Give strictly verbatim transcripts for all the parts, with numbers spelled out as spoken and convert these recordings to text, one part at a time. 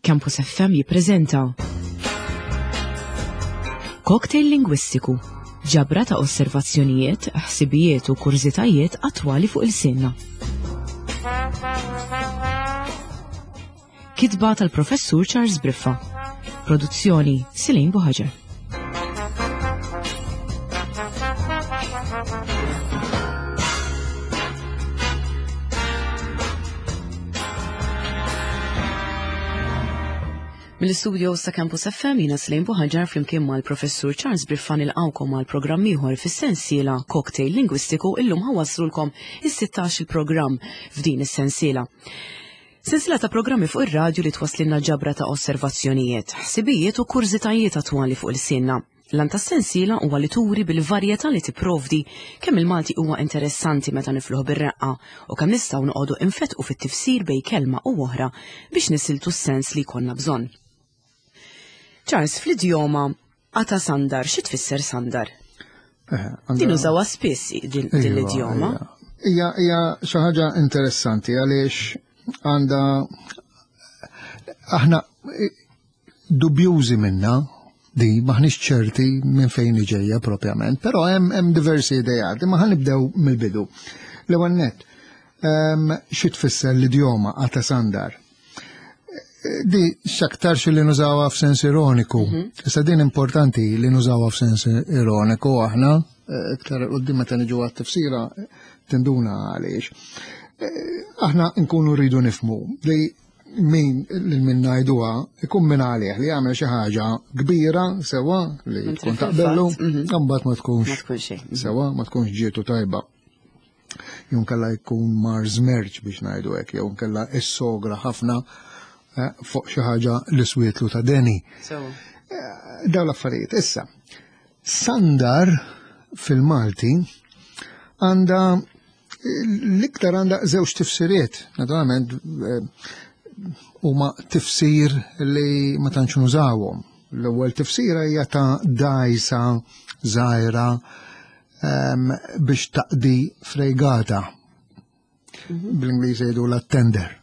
Campus F M jippreżenta Cocktail Lingwistiku, ġabra ta' osservazzjonijiet, ħsibijiet u kurżitajiet attwali fuq il-sinna. Kitba tal-Professur Charles Briffa. Produzzjoni Silin Buħaġer. Mill-istudio sa' Campus F M jiena Silin Buħaġar flimkien mal-Professur Charles Briffa nilqgħukom għal programm ieħor fis-sensiela Cocktail Lingwistiku. Illum ħawaslulkom is-sittax il-programm f'din is-sensiela. Sensiela ta' programmi fuq ir-radju li twasslilna ġabra ta' osservazzjonijiet, ħsibijiet u kurżitajiet attwali fuq il-sinna. L-għan tas-sensiela huwa li turi bil-varjetà li tipprovdi kemm il-Malti huwa interessanti meta nifluh bir-reqqa u kemm nistgħu noqogħdu infetqu fit-tifsir bejn kelma u oħra biex nisiltu s-sens li jkollna bżonn. Charles, fl-idjoma għata sandar, xi tfisser sandar? Eh, għandha Din użawha spiss din, din Iva, l-idjoma. iva. Hija, hija xi ħaġa interessanti għaliex għandha aħna dubjużi minna di maħniex ċerti minn fejn ġejja propjament, però hemm, hemm diversi idejat, imma ħa nibdew mill-bidu. L-ewwel nett, ehm, xi tfisser l-idjoma għata sandar? Di x'aktarx li nużawha f'sens ironiku. Mhm. Issa din importanti li nużawha f'sens ironiku aħna, eh, iktar quddiem meta niġu għat-tifsira tinduna għaliex. Eh, aħna nkunu rridu nifhmu li min lil min ngħiduha ikun min għalih li jagħmel xi ħaġa kbira sewwa li Mentri tkun fil-fatt, taqbellu, mhm. imbagħad ma tkunx Ma tkunx xejn. sewwa, ma tkunx ġietu tajba. Jew nkella jkun mar żmerġ biex ngħidu hekk, jew nkella issogra ħafna, eh, fuq xi ħaġa li swietlu ta' deni. Sewwa. Eh, dawn l-affarijiet. Issa, sandar fil-Malti għandha l-iktar għandha żewġ tifsiriet, naturalment, eh, huma tifsir li ma tantx nużawhom. L-ewwel tifsira hija ta' dgħajsa żgħira, ehm, biex taqdi frejgata. Mhm. Bl-Ingliż jgħidu la tender.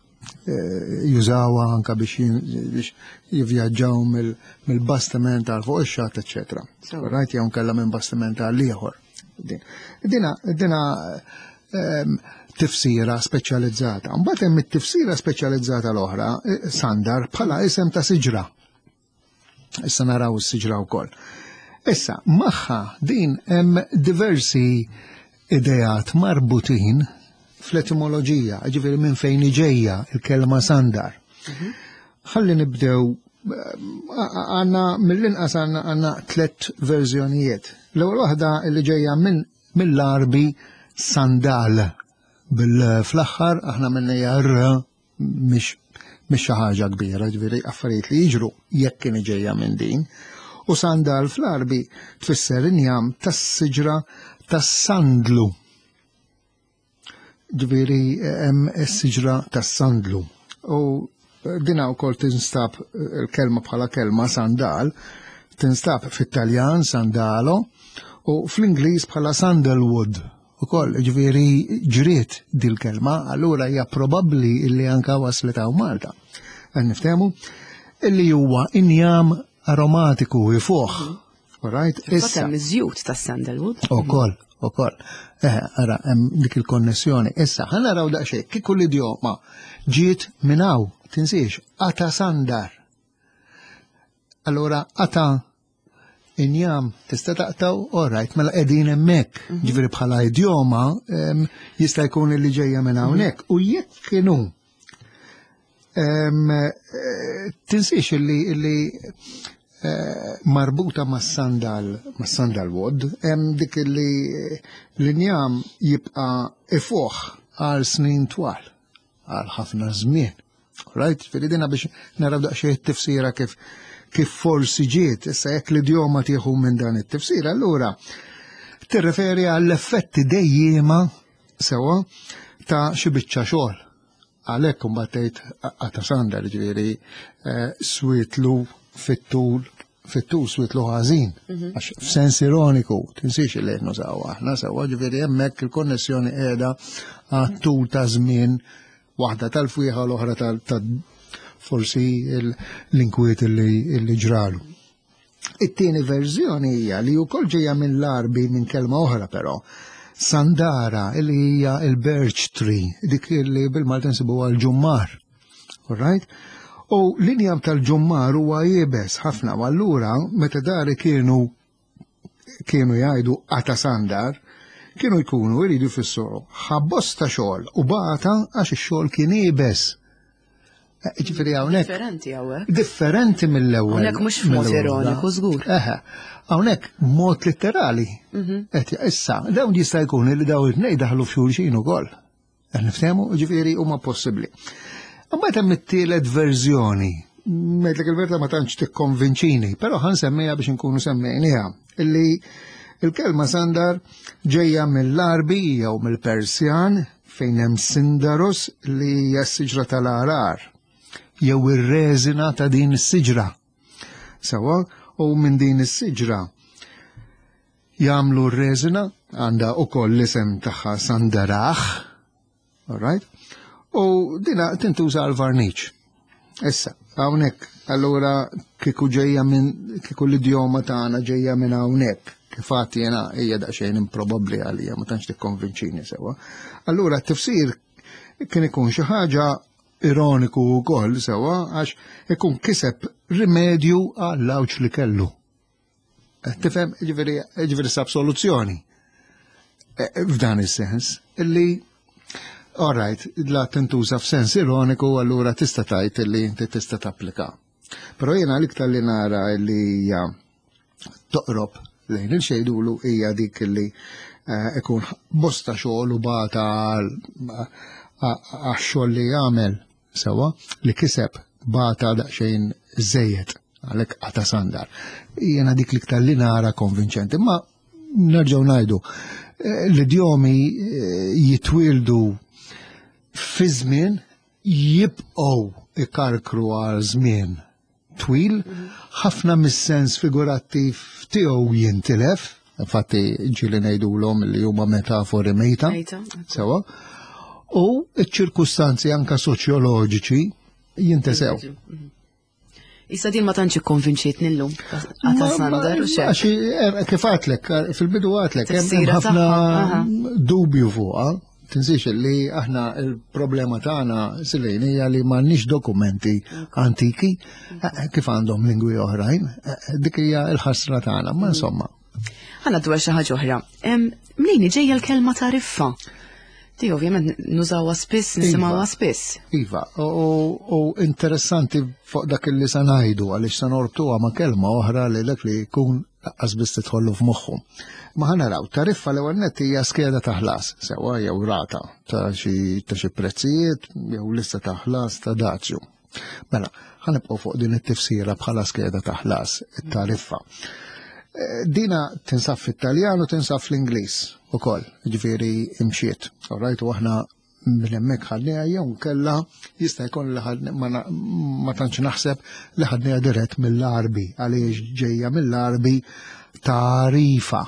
Eh, jużawha anka biex jin-, biex jivvjaġġaw mill-, mill-bastiment għal fuq ix-xatt, eċċetera. Sewwa. Right, jew nkella minn bastiment għal ieħor. Din. Dina, dina, ehm, tifsira speċjalizzata. Mbagħad hemm it-tifsira speċjalizzata l-oħra, eh, sandar bħala isem ta' siġra. Issa naraw is-siġra wkoll. Issa, magħha din hemm diversi ideat marbutin fl-etimoloġija, ġifieri minn fejn ġejja il-kelma sandar. Mhm. Ħalli nibdew, għandna mill-inqas għandna, għandna tliet verżjonijiet. L-ewwel waħda li ġejja minn, mill-Arbi sandal. Bil-fl-aħħar aħna minnejja r mhix, mhix xi ħaġa kbira, ġifieri affarijiet li jiġru jekk kien ġejja minn din. U sandal fl-Arbi tfisser injam tas-siġra tas-sandlu. Ġifieri hemm is-siġra tas-sandlu. U dina wkoll tinstab il-kelma bħala kelma sandal, tinstab fit-Taljan sandalo u fl-Ingliż bħala sandalwood. Ukoll, ġifieri ġriet dil-kelma, allura hija probabbli illi anka waslet hawn Malta. Qed niftehmu illi huwa injam aromatiku ifuħ. All right? Fil-fatt Issa. hemm iż-żjut tas-sandalwood. Ukoll, ukoll. Eh, ara, hemm dik il-konnessjoni. Issa, ħa naraw daqsxejn, kieku l-idjoma ġiet minn hawn, tinsiex, ata sandar. Allura, ata injam tista' taqtaw, all right, mela qegħdin hemmhekk. Mhm. Ġifieri bħala idjoma, em, jista' jkun li ġejja minn hawnhekk. U jekk kienu, em, eh, tinsiex illi, illi, eh, marbuta mas-sandal, mas-sandalwood, hemm dik illi l-injam jibqa' ifuħ għal snin twal, għal ħafna żmien. Right? Ġifieri dina biex naraw daqsxejn it-tifsira kif, kif forsi ġiet, issa jekk l-idjoma tieħu minn dan it-tifsira, allura tirreferi għall-effetti dejjema sewwa ta' xi biċċa xogħol. Għalhekk imbagħad tgħid għata sandar, ġifieri, eh, swietlu fit-tul, fit-tul swietlu ħażin. Mhm. Għax f'sens ironiku, tinsiex li qed nużaw aħna sewwa, ġifieri hemmhekk il-konnessjoni qiegħda għat-tul ta' żmien, waħda tal-fwieħa u l-oħra tal-, tal-, forsi l-inkwiet li ġralu. It-tieni verżjoni hija li wkoll ġejja minn l-Arbi minn kelma oħra però, Sandara, li hija il-birch tree, dik li bil-Malti nsibuha l-ġummar. All right? U l-injam tal-ġummar huwa iebes ħafna, u allura meta dari kienu kienu jgħidu qata sandar, kienu jkunu jridu jfissru ħa bosta xogħol u bata għax ix-xogħol kien iebes. Ġifieri hawnhekk. Differenti hawnhekk. Differenti mill-ewwel. Hawnhekk mhux f'mod ironiku żgur. Eħe, hawnhekk mod litterali. Mhm. Issa, dawn jista' jkun li dawn it-tnejn daħlu f'xulxin ukoll. Qed niftehmu, ġifieri huma possibbli. Imbagħad hemm it-tielet verżjoni. Ngħidlek il-verità ma tantx tikkonvinċini, però ħa nsemmiha biex inkunu semmejniha. Illi il-kelma sandar ġejja mill-Arbi jew mill-Persjan fejn hemm Sindaros li hija s-siġra tal-arar jew ir-reżina ta' din is-siġra. Sawa, u minn din is-siġra jagħmlu r-reżina, għandha ukoll l-isem tagħha Sandaraħ, all right? U dina tintuża għal varniċ. Issa, hawnhekk, allura kieku ġejja minn kieku l-idjoma tagħna ġejja minn hawnhekk, kif għad jiena hija daqsxejn improbabbli għalija, ma tantx tikkonvinċini sewwa. Allura t-tifsir kien ikun xi ħaġa ironiku wkoll sewwa għax ikun kiseb rimedju għall-għawġ li kellu. Tifhem, ġifieri ġifieri sab soluzzjoni. F'dan is-sens illi all right, la tintuża f'sens ironiku, allura tista' tgħid illi inti tista' tapplika. Però jiena l-iktar li nara li hija toqrob lejn il-xejdulu hija dik li ikun bosta xogħol u bata għax-xogħol li jagħmel sewwa li kiseb bata daqsxejn żejjed għalhekk qata sandar. Jiena dik l-iktar li nara konvinċenti, ma nerġgħu ngħidu l-idjomi jitwildu fi żmien jibqgħu ikarkru għal żmien twil, ħafna mis-sens figurattiv tiegħu jintilef, infatti ġieli ngħidulhom li huma metafori mejta, sewwa, u ċ-ċirkustanzi anka soċjoloġiċi jintesew. Issa din ma tantx ikkonvinċietni llum. Qata sandar u xejn. Għax kif għatlek, fil-bidu għatlek, hemm ħafna dubju fuqha. Tinsiex li aħna il-problema tagħna Silejn hija li m'għandniex dokumenti antiki kif għandhom lingwi oħrajn. Dik hija l-ħasra tagħna, ma insomma. Ħa dwar xi ħaġa oħra. Mnejn ġejja l-kelma tariffa? Di ovvjament nużawha spiss, nisimgħuha spiss. Iva, u interessanti fuq dak li sa ngħidu għaliex sa norbtuha ma' kelma oħra li dak li jkun lanqas biss tidħollu f'moħħu. Ma ħa naraw, tariffa l-ewwel nett hija skeda ta' ħlas, sewwa jew rata ta' xi ta' xi prezzijiet jew lista ta' ħlas ta' dazju. Mela, ħa nibqgħu fuq din it-tifsira bħala skeda ta' ħlas, it-tariffa. Dina tinsab fit-Taljan u tinsab fl-Ingliż ukoll, ġifieri imxiet. All right, u aħna minn hemmhekk ħadniha jew kella jista' jkun li ma tantx naħseb li ħadniha dirett mill-Arbi għaliex ġejja mill-Arbi tarifa.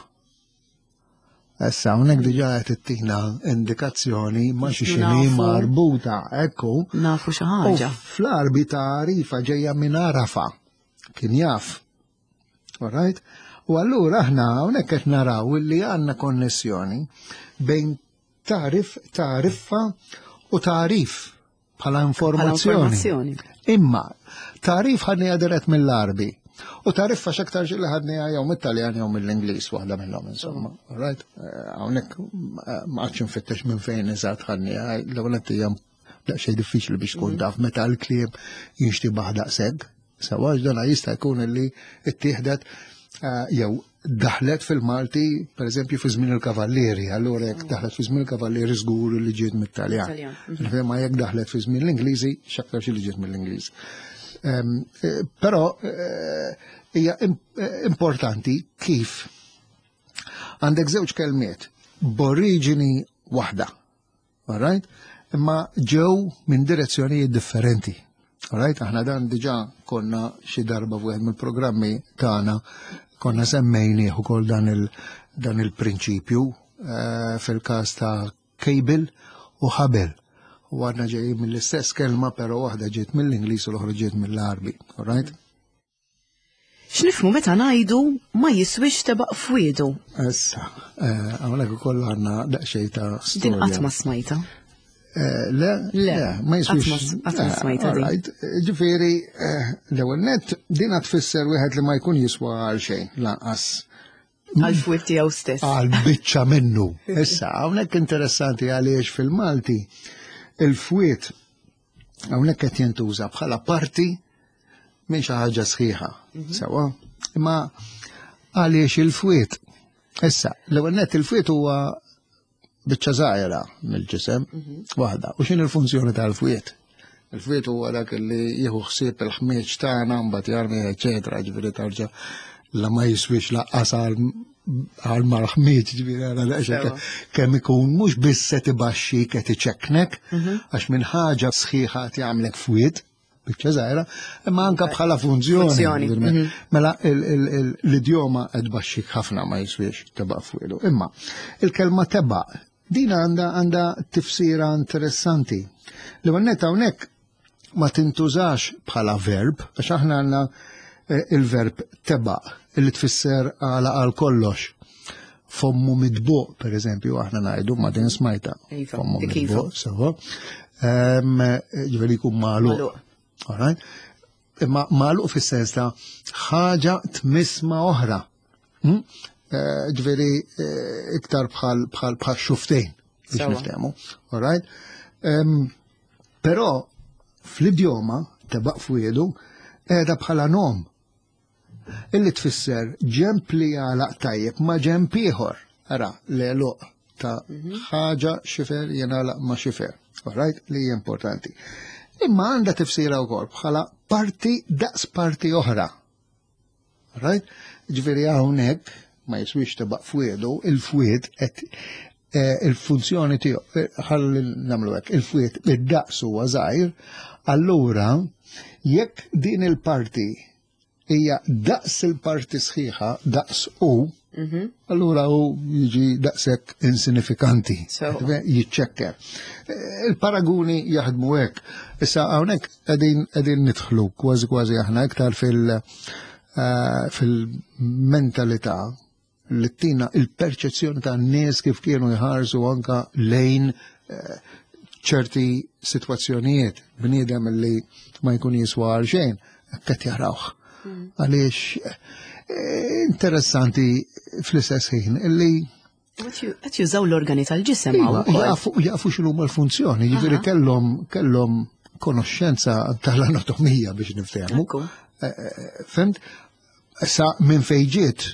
Issa hawnhekk diġà qed ittina indikazzjoni ma' xi xini marbuta, ekku. Nafu xi ħaġa. Fl-Arbi tarifa ġejja minn Arafa, kien jaf. All right? U allura aħna hawnhekk qed naraw li għandna konnessjoni bejn tarif, tariffa u tarif bħala informazzjoni. Imma tarif ħadniha dirett mill-Arbi u tariffa x'aktar li ħadniha jew mit-Taljan jew mill-Ingliż waħda minnhom insomma. All right? Hawnhekk ma qgħadx nfittex minn fejn eżatt ħadniha, l-ewwel hija daqsxejn diffiċli biex tkun taf meta l-kliem jinxtibaħ daqshekk. Sewwa dana jista' jkun li ttieħdet jew daħlet fil-Malti, per eżempju, fi żmien il-Kavallieri, allura jekk daħlet fi żmien il-Kavallieri żgur li ġiet mit-Taljan. Ma jekk daħlet fi żmien l-Ingliżi, x'aktar xi li ġiet mill-Ingliż. Però hija importanti kif għandek żewġ kelmiet b'oriġini waħda, all right? Imma ġew minn direzzjonijiet differenti. All right? Aħna dan diġà konna xi darba f'wieħed mill-programmi tagħna konna semmejnieh ukoll dan il dan il-prinċipju fil-każ ta' cable u ħabel. U għadna ġejjin mill-istess kelma, però waħda ġiet mill-Ingliż u l-oħra ġiet mill-Għarbi. All right? X'nifhmu meta ngħidu ma jiswix tebaq fwiedu? Issa, eh, hawnhekk ukoll għandna daqsxejn ta' storja. Din qatt ma smajta. Eh, le, Le, ma jiswix. qatt ma- qatt ma smajta din. Alright, Ġifieri, eh, l-ewwel nett din tfisser wieħed li ma jkun jiswa għal xejn lanqas Għal fwied tiegħu stess. għal biċċa minnu. Issa, hawnhekk interessanti għaliex fil-Malti il-fwied hawnhekk qed jintuża bħala parti minn xi ħaġa sħiħa. Sewwa? Imma għaliex il-fwied. Issa, l-ewwel nett il-fwied huwa biċċa żgħira mill-ġisem waħda. U x'inhi l-funzjoni tal-fwied? Il-fwied huwa dak li jieħu ħsieb il-ħmieġ tagħna mbagħad jarmi eċetera, ġifieri tarġa' la ma jiswix laqqas għal għal mal-ħmieġ, ġifieri għala daqsxejn Sewwa. kemm ikun mhux biss se tibaxxi qed iċekknek, għax minn ħaġa sħiħa qed jagħmlek fwied, biċċa żgħira, imma anke bħala funzjoni. Funzjoni, ġifieri, mhm. Mela il- il- il- l-idjoma qed tbaxxik ħafna ma jiswix tebaq fwiedu. Imma il-kelma tebaq din għandha għandha tifsira interessanti. Li għannet hawnhekk ma tintużax bħala verb, għax aħna għandna eh, il-verb tebaq illi tfisser għala għal kollox. Fommu midbuq, per eżempju, aħna ngħidu ma din smajta. Iva, Fommu dik iva. midbuq, sewwa. Ehm, Ġifieri jkun magħluq. Magħluq. Alright? Imma magħluq fis-sens ta' ħaġa tmiss ma' oħra. Hmm? Eh, Ġifieri eh, iktar bħal bħal bħal xuftejn biex Sewwa. niftehmu. Alright? Ehm, Però fl-idjoma tebaq fwiedu qiegħda bħala nom illi tfisser ġemp li jagħlaq tajjeb ma' ġemp ieħor. Ara, l-għeluq ta' ħaġa xifer jingħalaq ma' xifer. Alright? Li hija importanti. Imma għandha tifsira wkoll bħala parti daqs parti oħra. Right? Ġifieri hawnhekk ma jiswix tebaq fwiedu, il-fwied qed eh, il-funzjoni tiegħu, eh, ħalli nagħmlu hekk, il-fwied id-daqs huwa żgħir, allura jekk din il-parti hija daqs il-parti sħiħa, daqs u, allura u jiġi daqshekk insinifikanti. So. Jiċċekker. Eh, Il-paraguni jaħdmu hekk. Issa hawnhekk qegħdin qegħdin nidħlu kważi kważi aħna iktar fil- eh, fil-mentalità li tina il-perċezzjoni ta' nies kif kienu jħarsu anka lejn eh, ċerti situazzjonijiet bniedem li ma jkun jiswa għal xejn, qed jarawh. Għaliex eh, interessanti fl-istess ħin illi Qed jużaw l-organi tal-ġisem Iva, hawn ukoll. jafu jafu x'inhuma l-funzjoni, ġifieri Aha. kellhom kellhom konoxxenza tal-anatomija biex niftehmu. Ekku. Eh, eh, Fhimt? Issa minn fejn ġiet,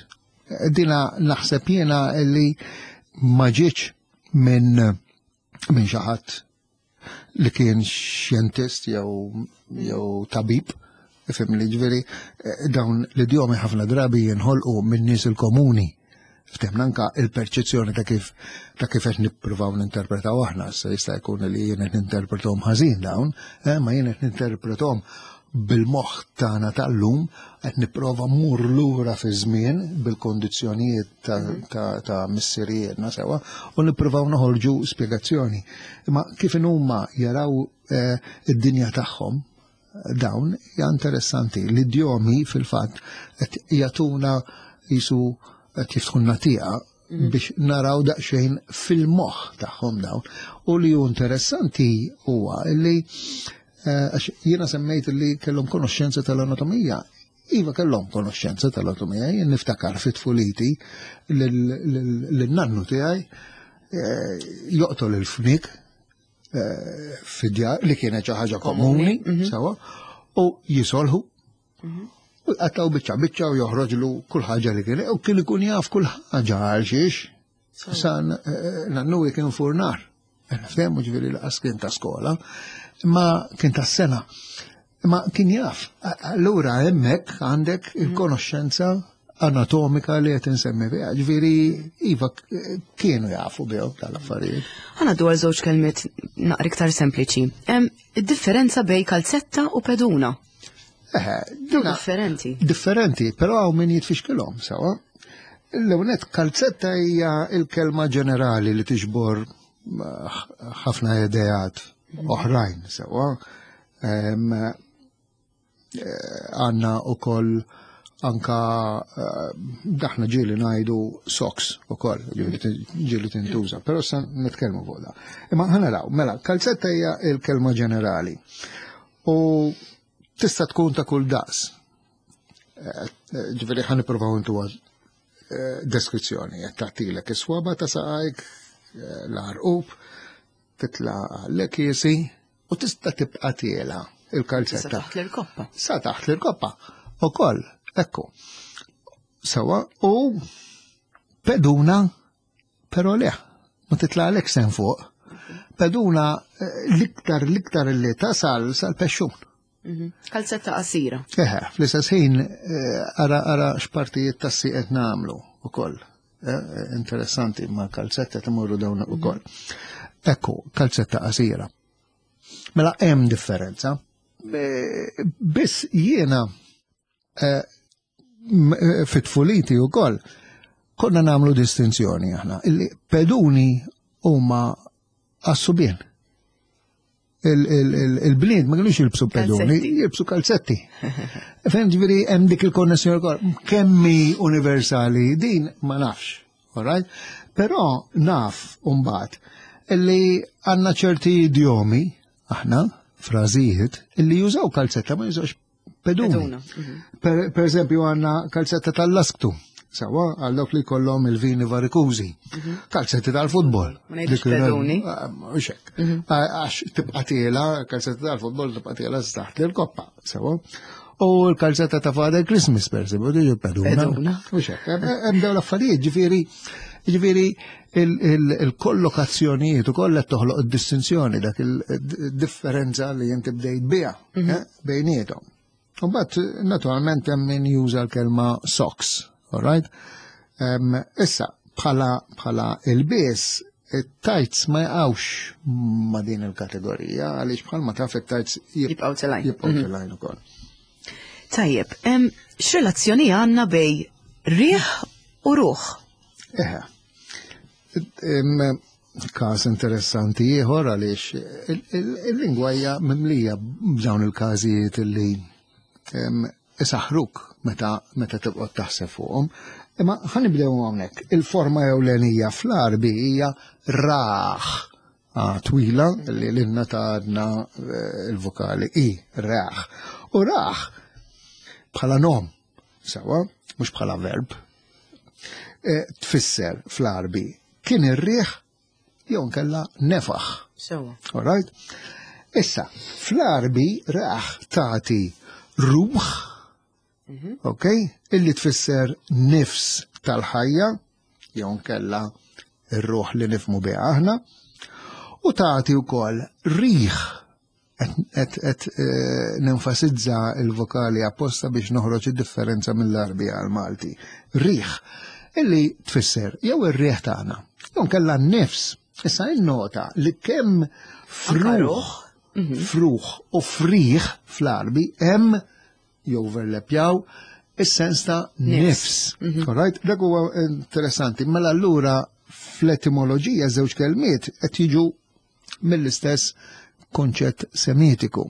eh, dina naħseb jiena li ma ġietx minn minn xi ħadd li kien xjentist jew jew tabib, ifhem li ġifieri eh, dawn l-idjomi ħafna drabi jinħolqu minn nies il-komuni. Ftemna anka il-perċezzjoni ta' kif ta' kif qed nippruvaw ninterpretaw aħna, issa jista' jkun li jien qed ninterpretahom ħażin dawn, eh, ma jien qed ninterpretahom bil-moħħ tagħna tal-lum qed nipprova mmur lura fi żmien bil-kondizzjonijiet ta', ta, ta' missirijietna sewwa u nippruvaw noħorġu spjegazzjoni. Imma kif huma jaraw eh, id-dinja tagħhom dawn hija interessanti. L-idjomi fil-fatt qed jagħtuna jisu qed jiftħulna tieqa biex naraw daqsxejn fil-moħħ tagħhom dawn. U li hu interessanti huwa li eh, għax jiena semmejt li kellhom konoxxenza tal-anatomija. Iva kellhom konoxxenza tal-anatomija, jien niftakar fit tfuliti lin-nannu tiegħi eh, joqtol il-fnik eh, fid-djar li kienet xi ħaġa komuni, sewwa, u jisolħu. U jqattaw biċċa biċċa u joħroġlu kull ħaġa li kien, u kien ikun jaf kull ħaġa għal xiex. San eh, nannu kien furnar. Nifhemu ġifieri lanqas kien ta' skola, imma kien ta' sena. Imma kien jaf. Allura hemmhekk għandek il-konoxxenza anatomika li qed insemmi biha. Ġifieri iva kienu jafu bihom tal-affarijiet. Ħa ngħaddu għal żewġ kelmiet naqra iktar sempliċi. Hemm id-differenza bejn kalzetta u peduna. Eħe, duna Differenti. differenti, però hawn min jitfixkilhom sewwa. L-ewwel kalzetta hija il-kelma ġenerali li tiġbor eh, ħafna ideat. oħrajn sewwa. Għandna ukoll anka daħna ġieli ngħidu socks ukoll, ġieli tintuża, però sa nitkellmu fuq da. Imma ħa naraw, mela, kalzetta hija l-kelma ġenerali. U tista' tkun ta' kull daqs. Ġifieri ħa nippruvaw intuha deskrizzjoni, qed tagħtilek is-swaba ta' saqajk, l-għarqub, titla' l-kiesi u tista' tibqa' tiela il-kalzetta. Sa taħt l-irkoppa. Sa taħt l-irkoppa. Ukoll, ekku. Sewa, u peduna, però le, ma titlaqlek sen fuq. Peduna l-iktar l-iktar li tasal sal-pexxun. Kalzetta qasira. Eħe, fl-istess ħin ara ara x'partijiet tas-sieq qed nagħmlu ukoll. Interessanti ma' kalzetta timorru dawn ukoll. Ekku, kalzetta qasira. Mela hemm differenza. Biss jiena fit-tfuliti wkoll konna nagħmlu distinzjoni aħna. Illi peduni huma għas-subien. Il-bniet ma kienux jilbsu peduni, jilbsu kalzetti. Fem ġifieri hemm dik il-konnessjoni wkoll. Kemmi universali din ma nafx, all right? Però naf mbagħad illi għandna ċerti idjomi aħna frażijiet illi jużaw kalzetta ma jużawx peduni. Per, per eżempju għandna kalzetta tal-lasktu. Sawa, għal dawk li kollhom il-vini varikużi. Kalzetti tal-futbol. Ma ngħidux peduni. Mhux hekk. Għax tibqa' tiela, kalzetta tal-futbol tibqa' tiela taħt l-koppa. Sawa. U l-kalzetta ta' Father Christmas, per eżempju, diġu peduna. Mhux hekk. Hemm dawn l-affarijiet, ġifieri ġifieri il-kollokazzjonijiet ukoll qed toħloq id-distinzjoni dak il-differenza li inti bdejt biha bejniethom. U mbagħad naturalment hemm min juża l-kelma socks. All right? Um, issa, bħala, bħala il-bies, it-tights ma jaqgħux ma din il-kategorija, għaliex bħalma taf it-tights jibqgħu telgħin. Jibqgħu telgħin ukoll. Tajjeb, x'relazzjoni għandna bej riħ u ruħ? Eħe. Każ interessanti ieħor għaliex il-lingwa hija mimlija b'dawn il-każijiet illi isaħruk meta meta tibqgħod taħseb fuqhom. Imma ħa nibdew hawnhekk. Il-forma ewlenija fl-Arbi hija raħ, twila li lilna tgħadna il-vokali i, raħ. U raħ bħala nom, sewa, mhux bħala verb, tfisser fl-Arbi kien ir-riħ jew nkella nefaħ. Sewa. All right? Issa, fl-Arbi raħ tagħti ruħ, ok, illi tfisser nifs tal-ħajja, jew nkella ir-ruħ li nifmu biha aħna, u tagħti wkoll riħ, qed qed nenfasizza l-vokali apposta biex noħroġ id-differenza mill-Arbi għal-Malti. Riħ, illi tfisser jew ir-riħ tagħna, jew nkella nifs. Issa innota li kemm fruħ, fruħ u friħ fl-Arbi hemm joverlepjaw is-sens ta' nifs. All right? Dak huwa interessanti. Mela allura fl-etimoloġija żewġ kelmiet qed jiġu mill-istess konċett semitiku.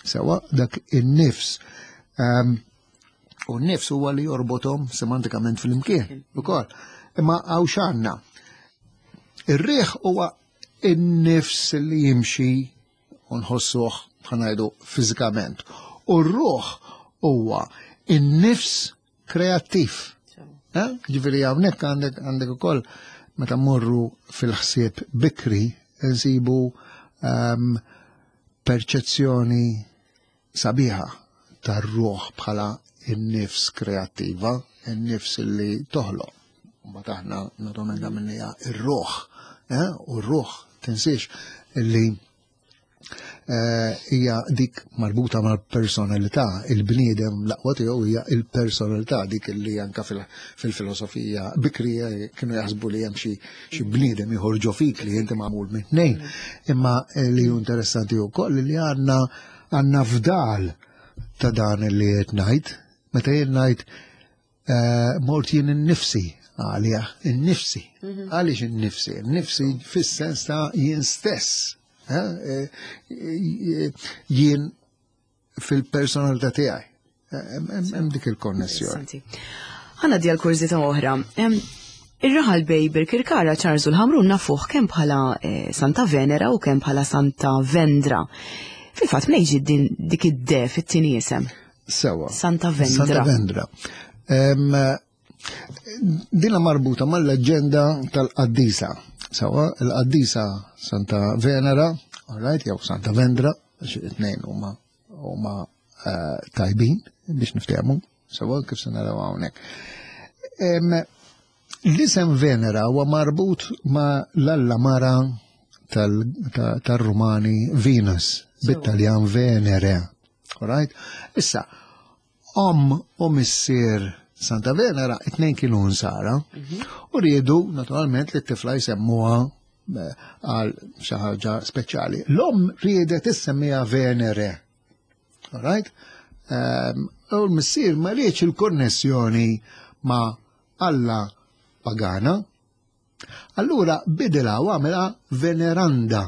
Sewa dak in-nifs. Um, u n-nifs huwa li jorbothom semantikament fl-imkien ukoll. Imma hawn x'għandna. Ir-riħ huwa in-nifs li jimxi u nħossuh ħanajdu fiżikament. U r-ruħ huwa in-nifs kreattiv. Ġifieri hawnhekk għandek għandek ukoll meta mmorru fil-ħsieb bikri nsibu um, perċezzjoni sabiħa tar-ruħ bħala in-nifs kreattiva, in-nifs li toħloq. Mbagħad aħna naturalment għamilniha ir-ruħ, eh? U r-ruħ tinsiex li hija dik marbuta mal-personalità, il-bniedem l-aqwa tiegħu hija il-personalità, dik li anka fil-filosofija bikrija kienu jaħsbu li hemm xi bniedem ieħor ġo fik li inti magħmul minn tnejn. Imma li hu interessanti wkoll li għandna għandna fdal ta' dan li qed ngħid, meta jien ngħid mort jien innifsi għalija, innifsi. Għaliex innifsi? Innifsi fis-sens ta' jien stess. Eh, jien fil-personalità tiegħi. Hemm dik il-konnessjoni. Ħana di għal-kurżità oħra. Ir-raħal bej Birkirkara Charles u l-Ħamrun nafuh kemm bħala eh, Santa Venera u kemm bħala Santa Vendra. Fil-fatt mnejn ġiet din dik id-de fit-tieni isem? Sewa. Santa Vendra. Santa Vendra. Dina marbuta mal-leġenda tal-Qaddisa. Sewa, il-Qaddisa Santa Venera, all right, jew Santa Vendra, għax it-tnejn huma huma eh, tajbin biex niftehmu, sewa kif se naraw hawnhekk. L-isem Venera huwa marbut ma' l-alla mara tal-Rumani Venus, bit-Taljan Venere. All right? Issa, om u missier Santa Venera, it-tnejn kienu nsara, u riedu naturalment li t-tifla jsemmuha eh, għal xi ħaġa speċjali. L-om riedet issemmiha Venere. All right? Um, u l-missier ma riedx il-konnessjoni ma' Alla pagana. Allura bidilha u għamilha Veneranda.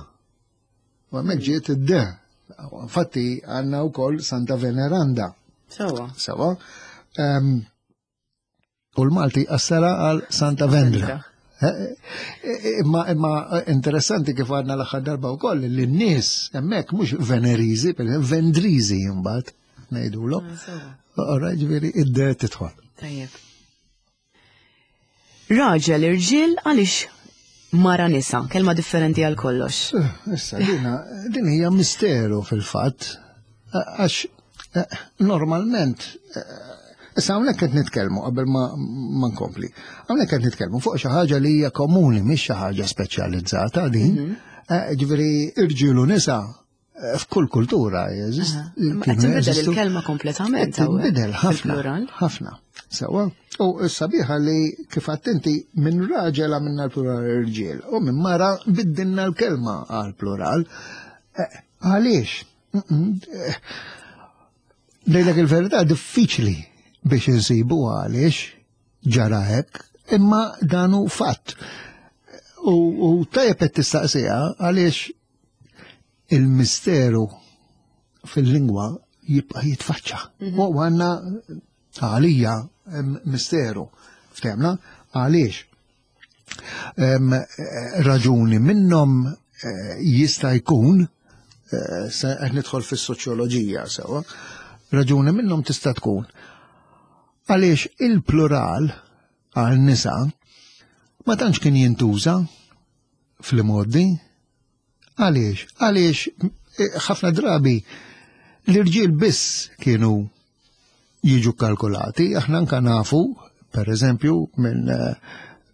U hemmhekk ġiet id-de. Infatti għandna wkoll Santa Veneranda. Sewa. Sewa. Um, u l-Malti qassarha għal Santa Vendra. Imma imma interessanti kif għadna l-aħħar darba wkoll li n-nies hemmhekk mhux Veneriżi, per eżempju, Vendriżi mbagħad ngħidulhom. Ora ġifieri id-de tidħol. Tajjeb. Raġel irġiel għaliex mara nisa, kelma differenti għal kollox. Issa, dina, din hija misteru fil-fatt, għax eh, normalment, eh, issa hawnhekk qed nitkellmu qabel ma, ma nkompli. Hawnhekk qed nitkellmu fuq xi ħaġa li hija komuni, mhix xi ħaġa speċjalizzata din. Eh, Ġifieri irġiel u nisa eh, f'kull kultura jeżist. Ma qed tinbidel il-kelma kompletament. hawnhekk, Tinbidel ħafna. fil-plural. Ħafna. Sewa. U s-sabiħa li kif inti minn raġel għamilna l-plural irġiel u minn mara biddilna l-kelma għal plural. Eh, Għaliex? Eh, Ngħidlek il-verità diffiċli biex insibu għaliex ġara hekk, imma dan hu fatt. U, u tajjeb qed tistaqsiha għaliex il-misteru fil-lingwa jibqa' jitfaċċa. U għandna għalija em, misteru. Ftehmna? Għaliex? Em, eh, Raġuni minnhom eh, jista' jkun eh, se qed nidħol fis-soċjoloġija sewa, raġuni minnhom tista' tkun għaliex il-plural għal nisa ma tantx kien jintuża fl-modi. Għaliex? Għaliex eh, ħafna drabi l-irġiel biss kienu jiġu kalkulati, aħna anka nafu, per eżempju, minn eh,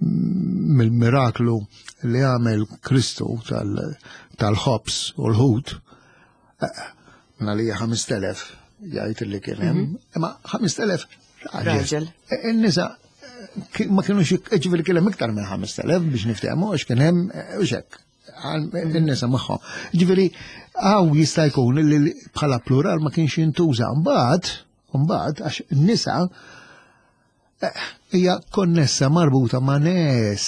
mill-miraklu li għamel Kristu tal-ħobż u l-ħut, eh, minna li ħamest elef jgħid li kien hemm, imma ħamest elef Raġel. Eh, In-nisa eh, ma kienux ġifieri kien hemm iktar minn ħamest elef biex niftehmu għax kien hemm u xek in-nisa magħhom. Ġifieri hawn jista' jkun li bħala plural ma kienx jintuża. Mbagħad, mbagħad għax n-nisa hija konnessa marbuta ma' nies.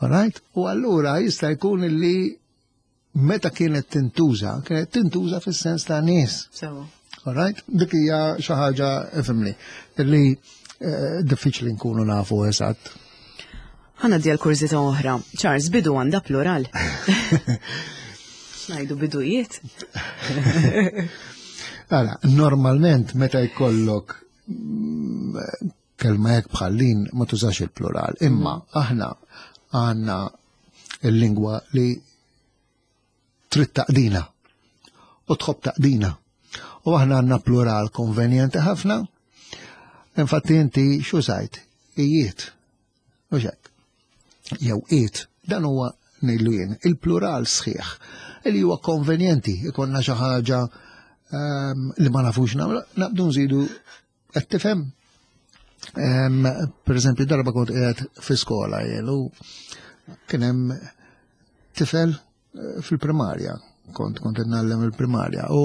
Alright? U allura jista' jkun li meta kienet tintuża, kienet tintuża fis-sens ta' nies. Sewa. Alright? Dik hija xi ħaġa ifhimni li eh, diffiċli nkunu nafu eżatt. Ħa ngħaddi għal kurżità oħra. Charles, bidu għandha plural. X'ngħidu bidujiet? Ara, normalment meta jkollok mm, kelma hekk bħal din ma tużax il-plural, imma aħna għandna il-lingwa li trid taqdina u tħobb taqdina. U aħna għandna plural konvenjenti ħafna. Infatti inti x'użajt? Ijiet. U hekk. Jew iet. Dan huwa ngħidlu jien, il-plural sħiħ li huwa konvenjenti, ikonna xi ħaġa ehm, li ma nafux nagħmlu, naqbdu nżidu qed tifhem. Ehm, Per eżempju, darba kont qiegħed fi skola jien u kien hemm tifel eh, fil-primarja, kont kont ngħallem il-primarja u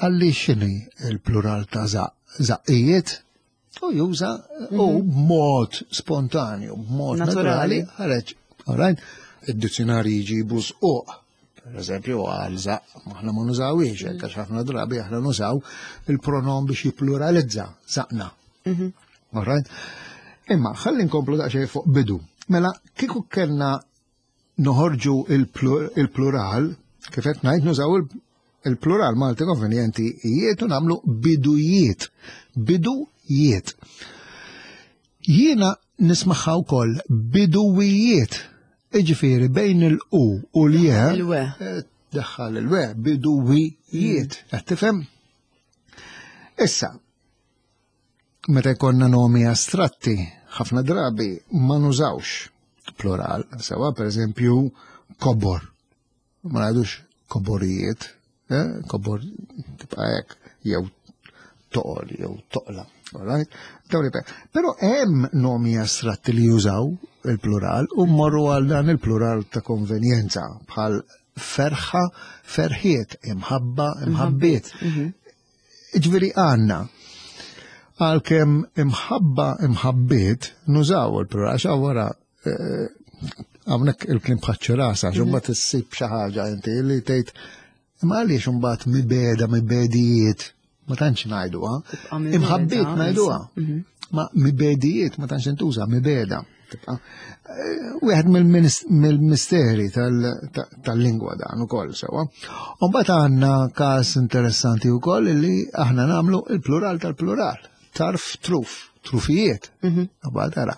qalli x'inhi il-plural ta' zaq, zaqqijiet u juża u b'mod spontanju, b'mod Naturali. naturali, ħareġ, all right? Id-dizzjonari jġibu squq. Per eżempju, għal żaqq, aħna ma nużawhiex, hekk għax ħafna drabi aħna nużaw il-pronom biex jippluralizza żaqqna. All right? Imma, ħalli nkomplu daqsxejn fuq bidu. Mela, kieku kellna noħorġu il-plural, kif qed ngħid nużaw il-plural Malti konvenjenti jiet u nagħmlu bidujiet. Bidujiet. Jiena nismagħha wkoll biduwijiet. Iġifieri bejn il-u u l-je. Il-we. Eh, daħħal il-we, biduwijiet. Qed tifhem? Issa, meta jkollna nomi astratti, ħafna drabi ma nużawx plural, sewa per eżempju kobor. Ma ngħidux koborijiet, eh? Kobor tibqa' hekk, jew toqol, jew toqla. All right? Dawn li- Però hemm nomi astratti li jużaw il-plural u mmorru għal dan il-plural ta' konvenjenza bħal ferħa, ferħiet, imħabba, imħabbiet. Ġifieri għandna għalkemm imħabba imħabbiet nużaw il-plural, għax wara eh, hawnhekk il-kliem bħaċ-ċirasa, għax imbagħad issib xi ħaġa inti li tgħid imma għaliex imbagħad mibegħda mibegħdijiet ma tantx ngħiduha. Tibqa' mibegħda, Imħabbiet ngħiduha. Mhm. Ma mibegħdijiet ma tantx intuża, mibegħda. Tibqa' eh, wieħed mill-minis- mill-misteri tal- ta- tal-lingwa dan ukoll sewwa. U mbagħad għandna każ interessanti wkoll li aħna nagħmlu il-plural tal-plural. Tarf truf, trufijiet. Mhm. Mbagħad ara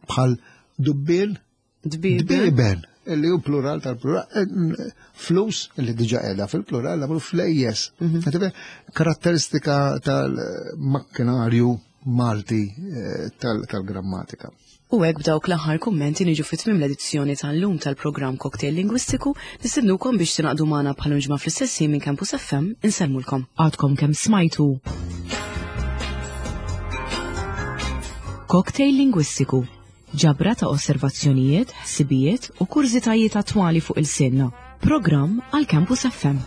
bħal dubbien Dbiben. dbiben, illi hu plural tal-plural, eh, flus, illi diġa qiegħda fil-plural, għamlu flejjes. Tifhem? Karatteristika tal-makkinarju Malti eh, tal- tal-grammatika. U hekk b'dawk l-aħħar kummenti niġu fi tmiem l-edizzjoni tal-lum tal-programm Cocktail Lingwistiku nistednukom biex tingħaqdu magħna bħal ġimgħa fl-istess ħin minn Campus F M. Insellmulkom. Għadkom kemm smajtu Cocktail Lingwistiku, ġabra ta' osservazzjonijiet, ħsibijiet u kurżitajiet attwali fuq ilsienna. Programm għal Campus F M.